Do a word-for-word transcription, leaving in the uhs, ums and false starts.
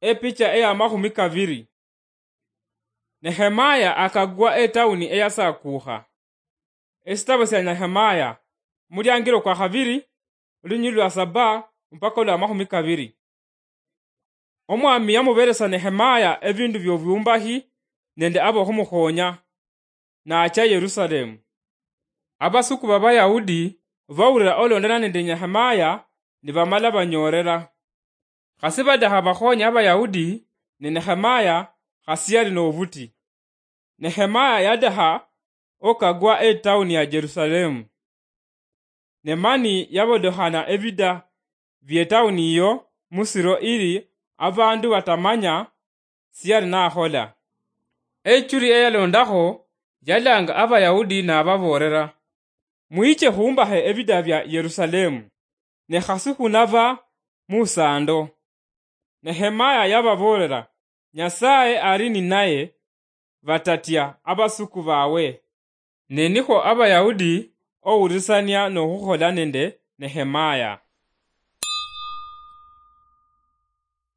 Epicha eya mahumi kaviri. Nehemaya akagwa etauni eyasakuha. Esitabo sia Nehemaya, muliangiro kwa khaviri, olunyili lwa saba mpaka olwa mahumi kaviri. Omwami yamuveresa Nehemaya evindu vyoviumbahi nende avohumuhonya, nacha Yerusalemu. Avasuku va Vayahudi vaulira olondana nende Nehemaya, nivamala vanyorera. Khasi vadaha vakhonye Avayahudi, ne Nehemaya khasi yali novuti. Nehemaya yadaha okagwa etauni ya Jerusalemu. Ne mani yavodohana evida vietauni iyo musiro ili avandu vatamanya siyali nahola. Echuli eyalondaho yalanga Avayahudi navavorera, "Mwiche humbahe evida vya Yerusalemu, ne khasi hunava musando." Nehemaya yavavorera, "Nyasaye ari ninaye, vatatia avasuku vawe." Ne nikho Avayahudi ourisania nohuhola nende Nehemaya.